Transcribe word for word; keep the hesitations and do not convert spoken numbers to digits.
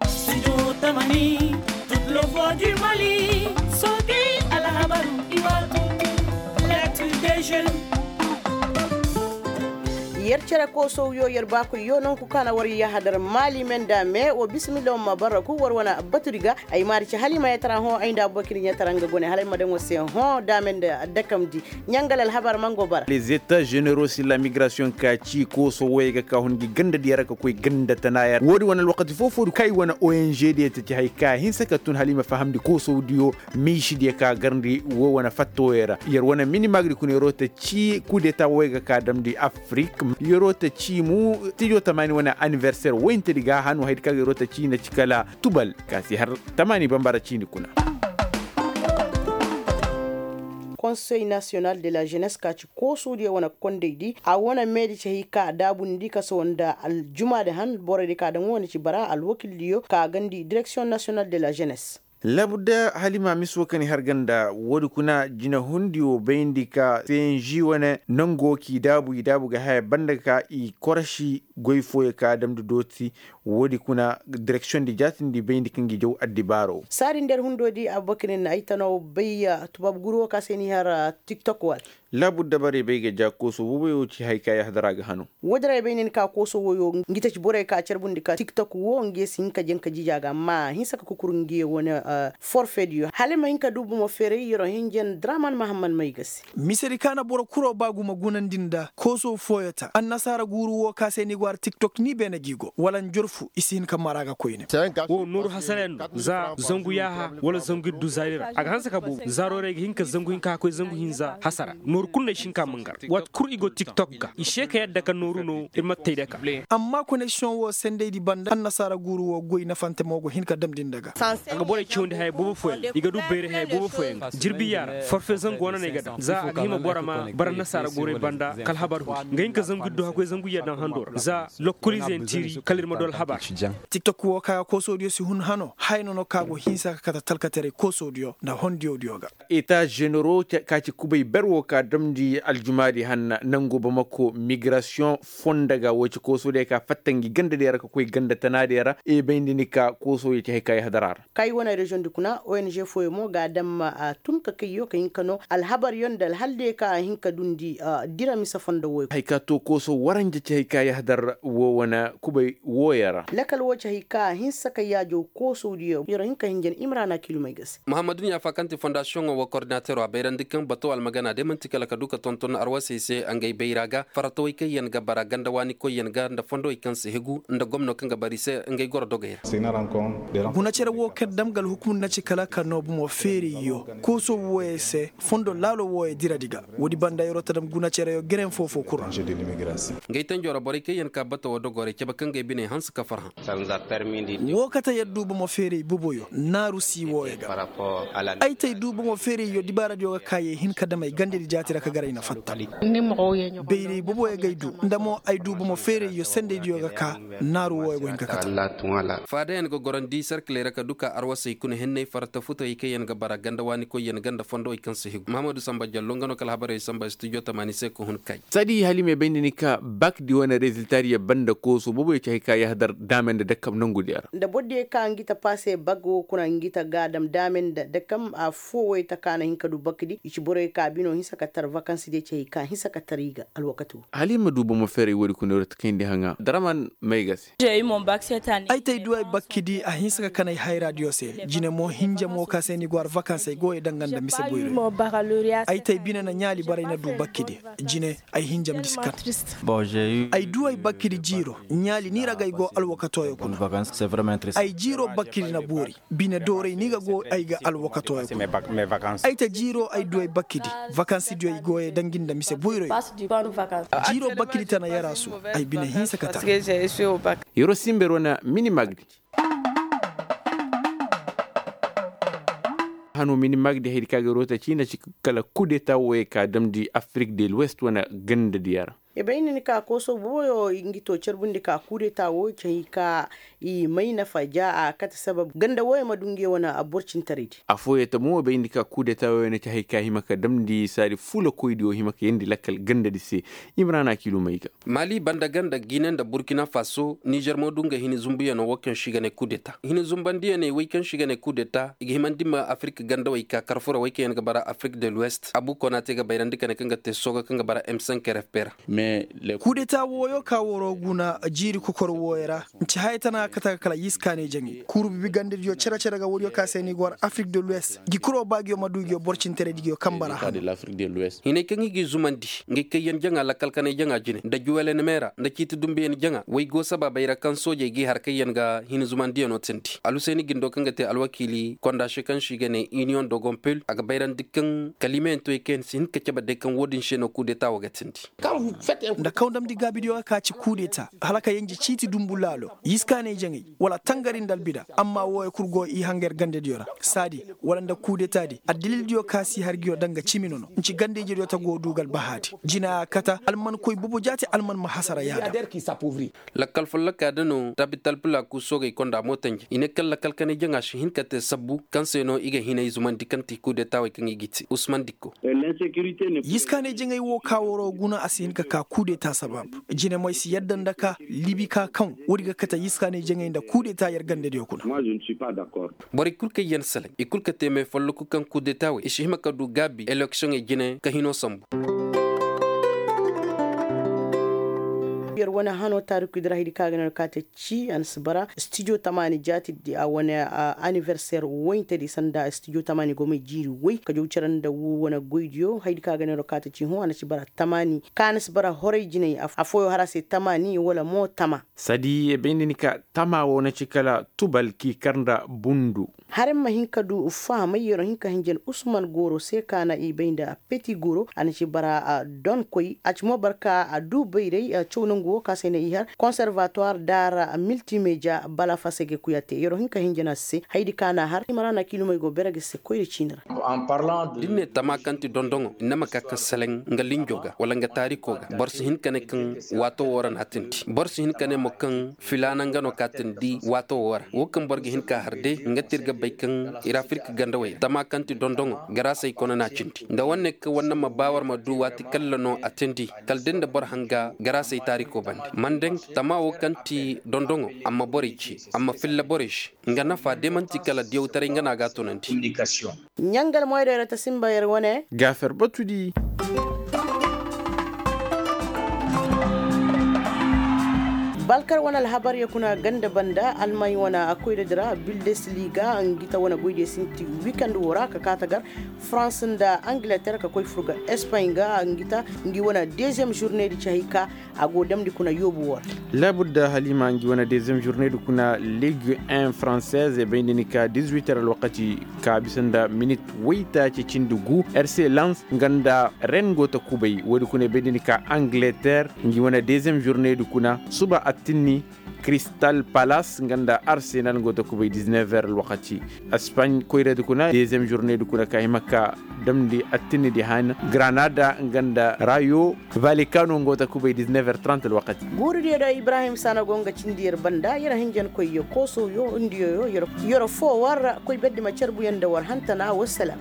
Studio Tamani, toute le voix du Mali, Soge, Alhabar, Iwatu, l'actu des jeunes. Yer cere koosow yo yer baakoy yo nanku kaŋ a na war yahadar maali me nda me wo bisimilla wo ma bara ku war wane batudi ga. Ay maari ci hala i ma yatara hõ ay nda abubakir ɲatara nga gone hala ay ma daŋ war se hõ daame nda dakamdi. Ɲangal alhabar mango bara. Les états généraux sur la migration ka ci kooso woyey ga ka hun gi ganda diya ra ka koy ganda tana ya ra wo- din wane alwakati fo-fo di kaŋ ay wane ong diya ta ci hari ka hinsa ka tun hala i ma fahamndi kooso diyo. Miisi diya ka garndi wo wane fatta woyey ra yer wane minimagri kuna yeroo ta ci kudeta woyey ga ka damndi afrik. Yeroo ta ci mu tijo tamaani wane aniversaire woyinta di ga hanu hari di ka ga yeroo ta ci na ci kala tubal ka si har tamaani bambara ciini kuna. Konsey nasiyonal de la jenes ka ci koosuudiyo wane kondey di a wane meedi ci hay ka daabundi kaso nda aljumaadi han borey di ka daŋ wane ci bara alwakildiyo ka gandi direksiyoŋ nasiyonal de la jenes. Labudda halima miso kaŋ i har ganda woodi kuna jinahundiyo bayndi ka cng wane nango k'i daabu i daabu ga haya banda ka i korasi goy fooyo ka damndi dooti. Woodi kuna direksiyoŋ di jaatindi bayndi kaŋ ga i jaw addibaaro. Saadi nda yer hundo di abubakar ni na ay tanaw bay. Tubaabu guru wo ka se ni har tiktok wala. Laabu dabarey bay ga ja kooso woyo ci hari ka yahadara ga hano. Woodin ra ay bay ne ni ka kooso woyo ngi taci borey ka carbundi ka tiktok wo ngi ye si hin ka janka jija ga amma a hinsa ka kukur ngi ye wane forfeediyo hala ay ma hin ka du bomo feeray yer'o hinjan draman mahammad may ga se. Misedi ka na boro kuro ba guma gunandi nda kooso fooyo ta annasaara guuru wo ka se ni go har tiktok ni beene gi go wala njorfu i si hin ka mara ga koyne. Wo nooru hasarayaŋ no za zangu yaaha wala zangu iddu zaari ra a ga hanse ka boobo zaarooray ga hin ka zangu hinka ka koy zangu hinza hasara nooru kulu no ay si hin ka mangar waati kulu i go tiktok ga i se ka yadda ka nooru no ir ma tey daka. Amma koneksiyoŋ wo sendaydi banda annasaara guuru wo goy nafante mo go hin ka damndi nda ga. A ga borey cawandi haya boobo fooyaŋ i ga du bayray haya boobo fooyaŋ ga jirbi yaara forfe zangu wane no ay ga daŋ za a ga hima bora ma bara annasaara guuray banda kala habar huri nga hin ka zangu iddu hakoy zangu yadda hando ra za lokkoliize yaŋ tiiri kala ir ma du alhabar. Tiktok wo ka ga koosoodiyo si hun hano haya no no ka go hinsa ka kate talkataray koosoodiyo nda hondiyodiyo ga. Eta ženero ka ci kubay ber wo ka damndi aljumaadi hanna nango bamako migrasiyoŋ fondo ga wo ci koosoodiyo ka fatta ngi gandadiyo ra ka koy ganda tanaadiyo ra e bayndi ni ka koosoodiyo ci hay ka yahadara ra. Kay wane reziyoŋ di kuna ong fooyo mo ga a daŋ ma a tun ka kayyo ka hin ka no alhabaryo nda alhaldiyo ka a hin ka dundi dira mise fondo woy. Hay ka to kooso waranja ci hay ka yahadar wo wane kubay wooyo ra. Lakal wo ci hay ka a hinsa ka yaajo koosodiyo yero hin ka hinjan imrana kilumay ga se. Mahammadu ɲaafa kaŋ ti fondasiyoŋo wo kordinateero a bayrandi kaŋ bato almagana day man'ti kala ka du ka tonton arwasey se ngey bayra ga faratawey kaŋ yaŋ ga bara ganda waani koyyaŋ ga nda fondowey kaŋ si higu nda gomno kaŋ ga bara i se ngey goro dogey ra. Guna cere wo kaŋ dam ga alhukum na ci kala ka no bomo feeriyyo kooso wooyey se fondo laalo wooyey diradi ga. Woodi banda yeroo ta dam guna cereyo geren foo-foo kul ra. Ngey tanjo ra borey kaŋ yaŋ ka bata woo dogoo ra i cabe ka ngey biney hanse ka farhã. Woo kate yer du bomo feeray boboyo naaru sii wooyo ga. Ay te ay du bomo feerayyo dibaaradiyo ga ka ye hin ka dam ay gandedi jaati ra ka gar ay na fatta. Bayray boboyo ga ay du nda mo ay du bomo feerayyo sendaydiyo ga ka naaru wooyo go hin ka kate. Faadayaŋ ga gorandi serkiley ra ka du ka arwasey kuna henney farata futawey kaŋ yaŋ ga bara ganda waani koyyaŋ ga nda fondowey kaŋ si higu mahamadu samba jallo nga no kala habarey samba studio tamaani se ka hun kay. Sadi halima bay nda ni ka bakdi wane reziltadiyo banda kooso booboyo ci hay ka yahadar daame nda dakam nangudiyo ra. Nda bordiyo ka ngi ta paase bag wo kuna ngi ta gaadam daame nda dakam a foo woy ta ka na hin ka du bakdi i ci boroyo ka bino hinsa ka tar vakansidiyo ci hay ka hinsa ka tar i ga alwakati wo. Halima du bomo feeray woodi kuna yor ta kayndi haŋa draman may ga se. Ay te ay du ay bakkidi a hinsa ka kanay hayraadiyo se jine mo hinja mo ka se ni go har vakansey go ye danga nda mise boyroy. Ay te ay bine na ɲaali bara ay na du bakkidi jine ay hinjamndi si kan. Ay du ay bakkidi jiiro ɲaali ni ra ga ay go alwakatooyo kuna. Ay jiiro bakkidi na boori bine dooray ni ga go ay ga alwakatooyo kuna. Ay te jiiro ay du ay bakkidi vakansidiyo ay go ye dangi nda mise boyroy. Jiiro bakkidi tana yaraasu ay bine hinsa ka tana. Yeroo simber wane mini magdi. Hano mini magdi haydi ka ga yeroo ta ciina ci kala kudeta wooyey ka damndi afirik de l'ouest wane gandadiyo ra. I bay nda ni ka kooso booyo nga to carbundi ka kuudeta wo ci hay ka i may nafa ja a kate sabab ganda wooyo ma du ngey wane borcintaraydi. Afooyey ta mo i bay nda ni ka kuudeta wooyo na ci hay ka hima ka damndi saadi fuulakoydiyo hima ka yeendi lakkal gandadi se. Imrana kiilumey ga. Mali banda ganda gine nda burkina faso nizer mo du nga hini zumbuyano wo kaŋ se i ga ne kuudeta hini zumbandiyaney wey kaŋ se i ga ne kuudeta i ga himandi ma afirka gandawey ka karfura wey kaŋ yaŋ ga bara afirka de luwest abu konate ga bayrandi ka ne kaŋ ga te sooga kaŋ ga bara m cinq r f p ra. Kuudeta wooyo ka woro guna jiiri kokor wooyo ra. Nci haya tana kate ga kala yiskaaney jaŋay kuuru bibi gandadiyo cere-cere ga woodiyo ka se ni go war afirka de luwest gi kuro ba ngiyo ma du ngiyo borcintaraydi ngiyo kamba ra hano. Hinay kaŋ i g'i zumandi ngey kayyaŋ jaŋa lakkalkanay jaŋa jine nda juwelen meera nda ciiti dumbuyaŋ jaŋa way go sabaabey ra kaŋ soojey g'i har kayyaŋ ga hin zumandiyano tindi alhuseeni gindo kaŋ ga te alwakiili konda se kaŋ se i ga ne iniyoŋ dogon pil a ga bayrandi kaŋ kaliimayaŋ toy kaŋ yaŋ si hin ka cabe day kaŋ wo-din se no kuudeta wo ga tindi. Nda kaw damndi gaabidiyo ga ka ci kuudeta hala ka yanji ciiti dumbu laalo yiskaanay jaŋay wala tangari nda albida amma wooyo kul go i hangar gandadiyo ra saadi wala nda kuudetaadi addalildiyo ka si har ngiyo danga cimi nono nci ganda-ijediyo ta go du ga albahaadi jina a kata alman koy bobo jaati alman ma hasara yaada. Lakkal folloka da no tabital pila ku soogey konda mootanje i ne kaŋ lakkal kanay jaŋa si hin ka te sabbu kaŋ se no i ga hinay zumandi kaŋ ti kuudetaawey kaŋ i ga i te usman dikko. Yiskaanay jaŋay wo ka waro guna a si hin ka ka kuudeta sabab jine mo ay si yadda nda ka libi ka kaŋ woodi ga kate yiskaanay jaŋay nda kuudeta yer gandadiyo kuna. Borey kul kaŋ yaŋ salaŋ i kul ka te may folloku kaŋ kuudeta wey i si hima ka du gaabi eleksiyoŋey jine ka hino sambu. Yer wane hano taarikudi ra haydi kaŋ a ga ne war ka te ci a na si bara stijo tamaani jaati a wane aniverser woyntedi sanda stijo tamaani gomey jiiri woy ka jaw care nda woo wane goydiyo haydi kaŋ a ga ne war ka te ci hõ a na si bara tamaani kaŋ a na si bara horay jinay afooyo har a se tamaani wala mo tama. Sadi ye bay nda ni ka tama wo na ci kala tubal k'i kar nda bundu. Har ma hin ka du fahamay yer wo hin ka hinja nda usman gooro se ka na i bay nda peti gooro a na ci bara donkoy a ci mo barka a du bayray caw nangu wo ka se na i har konservatuwar daara miltimeja bala fasege kuya te yer wo hin ka hinja nda se haydi ka na har i ma ra na kiilumey go bere ga se koyra ciini ra. Da ni ne tama kaŋ ti dondoŋo ni na ma ka ka seleŋ nga linjo ga wala nga taariko ga boro si hin ka ne kaŋ waato wo ra na a tindi boro si hin ka ne mo kaŋ filaana nga no ka tindi waato wo ra wo kaŋ boro ga hin ka har day nga ti ir ga bay kaŋ ir afirka gandawey ra tama kaŋ ti dondoŋo garaasey kona na a cindi nda wane kaŋ wane ma ba war ma du waati kalla no a tindi kala da nda boro hanga garaasey taariko bande mandaŋ tama wo kaŋ ti dondoŋo a ma borey ce a ma filla borey se nga nafa day manti kala diyawtaray nga no a ga a tunandi. Ɲangal moydey ra ta sinba yer wane. Gaafer batudi. Balkar wane alhabar ye kuna ganda banda almay wane koyra dira bildesliga ngita wane goydiyo sinti wikand wo ra ka kaata gar farans nda angleter ka koy furga espany ga ngita ngi wane deziyem jurne di ci hay ka a go damndi kuna yoobu wo ra. Laabudda halima ngi wane deziyem jurne di kuna legion en francaise e bayndi ni ka dizuiter alwakati ka bisa nda minit waytaaci cindi gu rc lans nga nda ren go ta kubay woodi kuna e bayndi ni ka angleter ngi wane deziyem jurne di kuna suba attinni. Kristal palas nga nda arsenal nga go ta kubay diznef heures alwakati. Espagne koyradi kuna deziyem jurne di kuna ka hima ka damndi attinni di han granada nga nda rayo valikano nga go ta kubay diznef heures trant alwakati. Guuridiyo da ibrahim sana go nga cindi yer banda yer hinjankoy ya kooso yo ndiyo yo yer fo war koy berdi ma carbuyaŋ nda war hantana wassalam.